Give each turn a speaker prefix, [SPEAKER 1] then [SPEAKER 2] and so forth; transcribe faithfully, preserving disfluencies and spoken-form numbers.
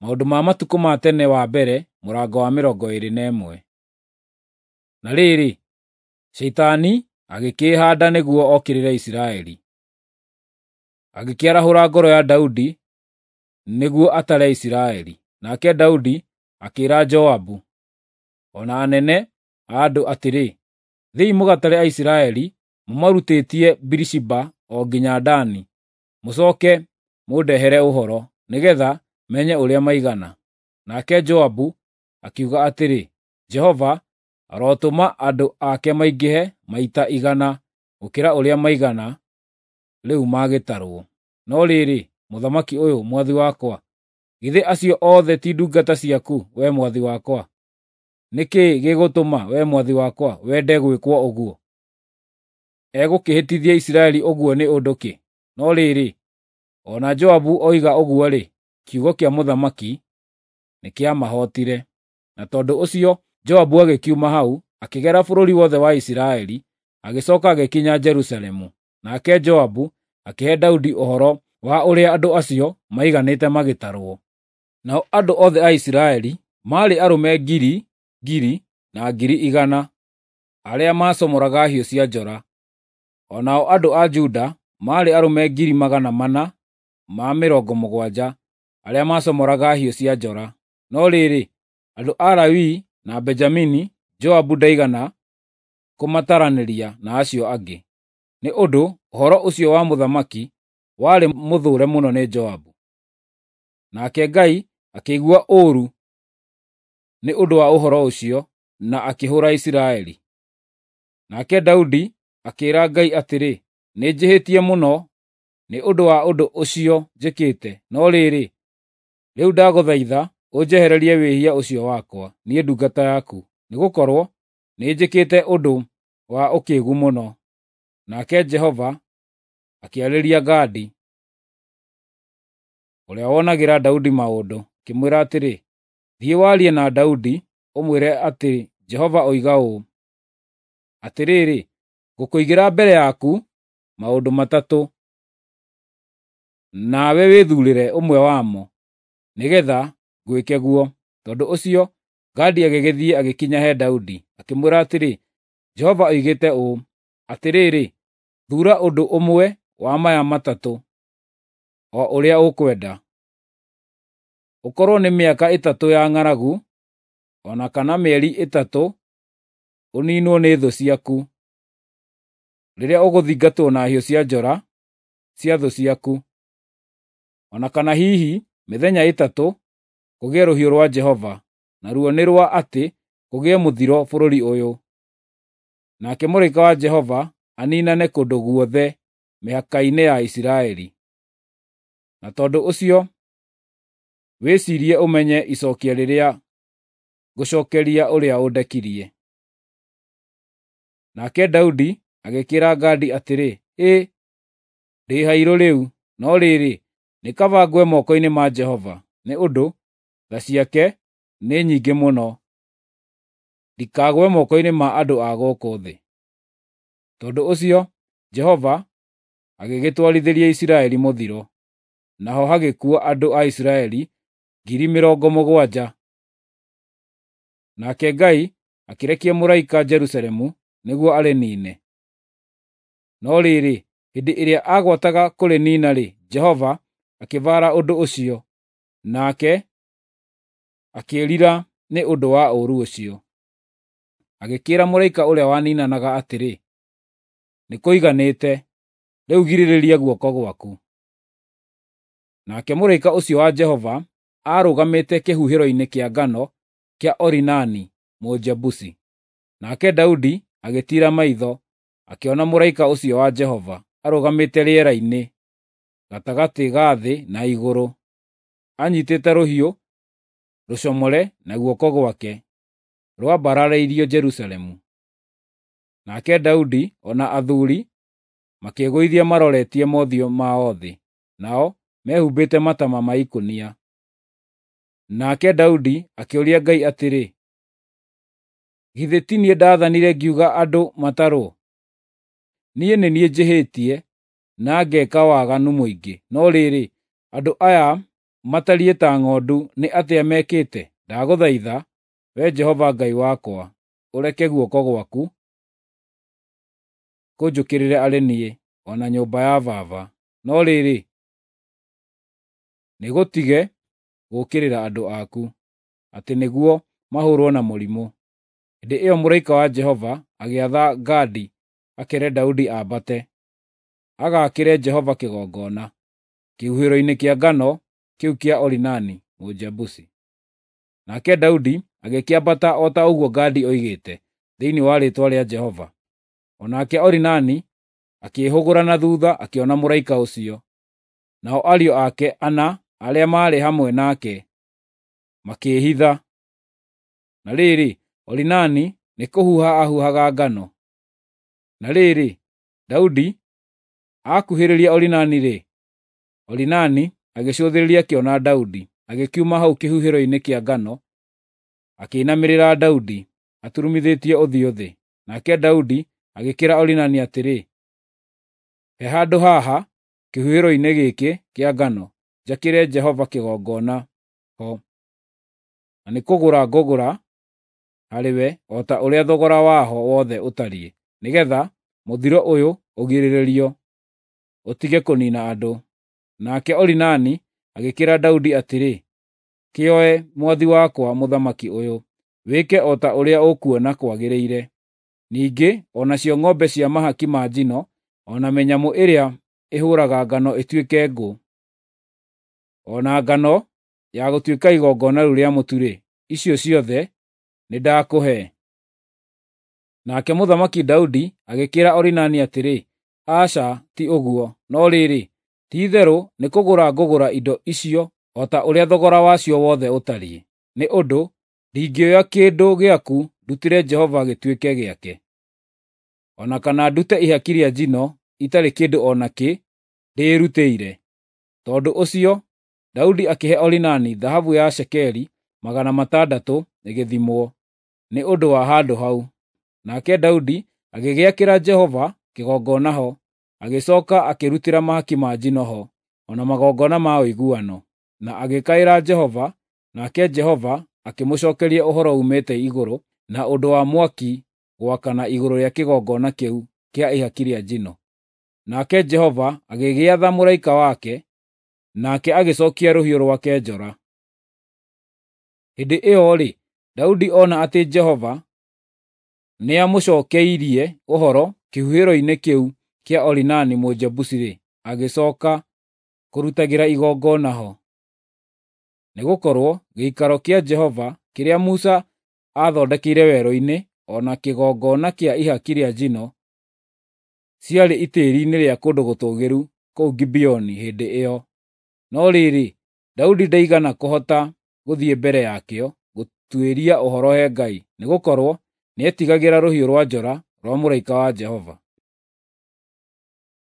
[SPEAKER 1] Maũndũ ma Matukũ ma Tene wa mbere mũrango wa mĩrongo ĩĩrĩ na ĩmwe. Na rĩrĩ, Shaitani agĩkĩĩhaanda nĩguo okĩrĩre Isiraeli. Agĩkĩarahũra ngoro ya Daudi nĩguo atare Isiraeli. Nake Daudi akĩĩra Joabu o na anene a andũ atĩrĩ, “Thiĩi mũgatare Aisiraeli mũmarutĩtie Birishiba o nginya Dani, mũcooke mũndehere ũhoro, nĩgeetha menye ũrĩa maigana.” Nake Joabu akiuga atĩrĩ, “Jehova arotũma andũ ake maingĩhe maita igana gũkĩra ũrĩa maigana rĩu magĩtarwo. No rĩrĩ, mũthamaki ũyũ, mwathi wakwa, githĩ acio othe ti ndungata ciaku, wee mwathi wakwa? Nĩ kĩĩ gĩgũtũma, wee mwathi wakwa, wende gwĩkwo ũguo? Egũkĩhĩtithia Isiraeli ũguo nĩ ũndũ kĩ?” No rĩrĩ, o na Joabu oiga ũguo-rĩ, kiugo kĩa mũthamaki nĩkĩamahootire. Na tondũ ũcio Joabu agĩkiuma hau, akĩgera bũrũri wothe wa Isiraeli, agĩcooka agĩkinya Jerusalemu. Nake Joabu akĩhe Daudi ũhoro wa ũrĩa andũ acio maiganĩte magĩtarwo. Nao andũ othe a Isiraeli maarĩ arũme ngiri ngiri na ngiri igana arĩa maacomoraga hiũ cia njora. O nao andũ a Juda maarĩ arũme ngiri magana mana ma mĩrongo mũgwanja arĩa maacomoraga hiũ cia njora. No rĩrĩ, andũ a Lawi na Benjamini Joabu ndaigana kũmataranĩria na acio angĩ, nĩ ũndũ ũhoro ũcio wa mũthamaki warĩ mũthũũre mũno nĩ Joabu. Nake Ngai akĩigua ũũru nĩ ũndũ wa ũhoro ũcio, na akĩhũũra Isiraeli. Nake Daudi akĩĩra Ngai atĩrĩ, “Nĩnjĩhĩtie mũno nĩ ũndũ wa ũndũ ũcio njĩkĩte, no rĩrĩ, rĩu ndagũthaitha ũnjehererie wĩhia ũcio wakwa, niĩ ndungata yaku, nĩgũkorwo nĩnjĩkĩte ũndũ wa ũkĩĩgu mũno.” Nake Jehova akĩarĩria Gadi, ũrĩa wonagĩra Daudi maũndũ, akĩmwĩra atĩrĩ, “Thiĩ warie na Daudi, ũmwĩre atĩ Jehova oiga ũũ: ‘Atĩrĩrĩ, ngũkũigĩra mbere yaku maũndũ matatũ, nawe wĩthuurĩre ũmwe wamo, nĩgeetha ngwĩke guo.’ ” Tondũ ũcio Gadi agĩgĩthiĩ agĩkinya he Daudi, akĩmwĩra atĩrĩ, “Jehova oigĩte ũũ: Atĩrĩrĩ, thuura ũndũ ũmwe wa maya matatũ, o ũrĩa ũkwenda: ũkorwo nĩ mĩaka ĩtatũ ya ng'aragu, o na kana mĩeri ĩtatũ ũniinwo nĩ thũ ciaku, rĩrĩa ũgũthingatwo na hiũ cia njora cia thũ ciaku, o na kana hihi mĩthenya ĩtatũ kũgĩe rũhiũ rwa Jehova, naruo nĩ rwa atĩ kũgĩe mũthiro bũrũri ũyũ.” Nake mũraika wa Jehova aniinane kũndũ guothe mĩhaka-inĩ ya Isiraeli. Na tondũ ũcio wĩciirie ũmenye icookia rĩrĩa ngũcookeria ũrĩa ũndekirie. Nake Daudi agĩkĩĩra Gadi atĩrĩ, “Ĩ, ndĩ hairũ rĩu! No rĩrĩ, nĩ kaba ngwe moko-inĩ ma Jehova, nĩ ũndũ tha ciake nĩ nyingĩ mũno, ndikagwe moko-inĩ ma andũ a gũkũ thĩ.” Tondũ ũcio Jehova agĩgĩtwarithĩria Isiraeli mũthiro, naho hagĩkua andũ a Isiraeli ngiri mĩrongo mũgwanja. Nake Ngai akĩrekia mũraika Jerusalemu nĩguo arĩniine. No rĩrĩ, hĩndĩ ĩrĩa aagwataga kũrĩniina-rĩ, Jehova akĩbaara ũndũ ũcio, nake akĩĩrira nĩ ũndũ wa ũũru ũcio. Agĩkĩĩra mũraika ũrĩa waniinanaga atĩrĩ, “Nĩkũiganĩte! Rĩu girĩrĩria guoko gwaku.” Nake mũraika ũcio wa Jehova aarũgamĩte kĩhuhĩro-inĩ kĩa ngano kĩa Orinani Mũjebusi. Nake Daudi agĩtiira maitho, akĩona mũraika ũcio wa Jehova arũgamĩte rĩera-inĩ gatagatĩ ga thĩ na igũrũ, anyiitĩte rũhiũ rũcomore na guoko gwake, rwambararĩirio Jerusalemu. Nake Daudi o na athuuri makĩĩgũithia maroretie mothiũ mao thĩ, nao mehumbĩte mataama ma ikũnia. Nake Daudi akĩũria Ngai atĩrĩ, “Githĩ ti niĩ ndaathanire ngiuga andũ matarwo? Niĩ nĩ niĩ njĩhĩtie na ngeeka waganu mũingĩ. No rĩrĩ, andũ aya matariĩ ta ng'ondu nĩ atĩa mekĩte? Ndagũthaitha, Wee Jehova Ngai wakwa, ũreke guoko gwaku kũnjũkĩrĩre arĩ niĩ, o na nyũmba ya baba. No rĩrĩ, nĩgũtige gũũkĩrĩra andũ aku, atĩ nĩguo mahũũrwo na mũrimũ. Hĩndĩ ĩyo mũraika wa Jehova agĩatha Gadi akeere Daudi ambate, agaakĩre Jehova kĩgongona, kĩhuhĩro-inĩ kĩa ngano kĩu kĩa Orinani Mũjebusi. Nake Daudi agĩkĩambata o ta ũguo Gadi oigĩte, thĩinĩ wa rĩĩtwa rĩa Jehova. O nake Orinani akĩĩhũgũra na thuutha akĩona mũraika ũcio, nao ariũ ake ana arĩa maarĩ hamwe nake makĩĩhitha. Na rĩrĩ, Orinani nĩkũhuha aahuhaga ngano. Na rĩrĩ, Daudi aakuhĩrĩria Orinani-rĩ, Orinani agĩcũthĩrĩria akĩona Daudi, agĩkiuma hau kĩhuhĩro-inĩ kĩa ngano, akĩinamĩrĩra Daudi, aturumithĩtie ũthiũ thĩ. Nake Daudi agĩkĩĩra Orinani atĩrĩ, “He handũ haha kĩhuhĩro-inĩ gĩkĩ kĩa ngano, njakĩre Jehova kĩgongona ho, na nĩkũgũra ngũgũra harĩwe o ta ũrĩa thogora waho wothe ũtariĩ, nĩgeetha mũthiro ũyũ ũgirĩrĩrio, ũtige kũniina andũ.” Nake Orinani agĩkĩĩra Daudi atĩrĩ, “Kĩoe, mwathi wakwa mũthamaki ũyũ, wĩke o ta ũrĩa ũkuona kwagĩrĩire. Ningĩ o nacio ng'ombe cia mahaki ma njino, o na mĩnyamũ ĩrĩa ĩhũũraga ngano ĩtuĩke ngũ, o na ngano ya gũtuĩka igongona rĩu rĩa mũtu-rĩ, icio ciothe nĩndakũhe.” Nake Mũthamaki Daudi agĩkĩĩra Orinani atĩrĩ, “Aca, ti ũguo, no rĩrĩ, ti-itherũ nĩkũgũra ngũgũra indo icio o ta ũrĩa thogora wacio wothe ũtariĩ, nĩ ũndũ ndingĩoya kĩndũ gĩaku ndutĩre Jehova gĩtuĩke gĩake, o na kana ndute ihaki rĩa njino itarĩ kĩndũ o nakĩ ndĩĩrutĩire.” Tondũ ũcio Daudi akĩhe Orinani thahabu ya cekeri magana matandatũ ĩgĩthimwo, nĩ ũndũ wa handũ hau. Nake Daudi agĩgĩakĩra Jehova kĩgongona ho, agĩcooka akĩrutĩra mahaki ma njino ho, o na magongona ma ũiguano, na agĩkaĩra Jehova, nake Jehova akĩmũcookeria ũhoro uumĩte igũrũ na ũndũ wa mwaki gwakana igũrũ rĩa kĩgongona kĩu kĩa ihaki rĩa njino. Nake Jehova agĩgĩatha mũraika wake, nake agĩcookia rũhiũ rwake njora. Hĩndĩ ĩyo-rĩ, Daudi ona atĩ Jehova nĩamũcookeirie ũhoro kĩhuhĩro-inĩ kĩu kĩa Orinani Mũjebusi-rĩ, agĩcooka kũrutagĩra igongona ho. Nĩgũkorwo gĩikaro kĩa Jehova kĩrĩa Musa aathondekeire werũ-inĩ, o na kĩgongona kĩa ihaki rĩa njino, ciarĩ itĩĩri-inĩ rĩa kũndũ gũtũũgĩru kũu Gibeoni hĩndĩ ĩyo. No rĩrĩ, Daudi ndaigana kũhota gũthiĩ mbere yakĩo gũtuĩria ũhoro he Ngai, nĩgũkorwo nĩetigagĩra rũhiũ rwa njora rwa mũraika wa Jehova.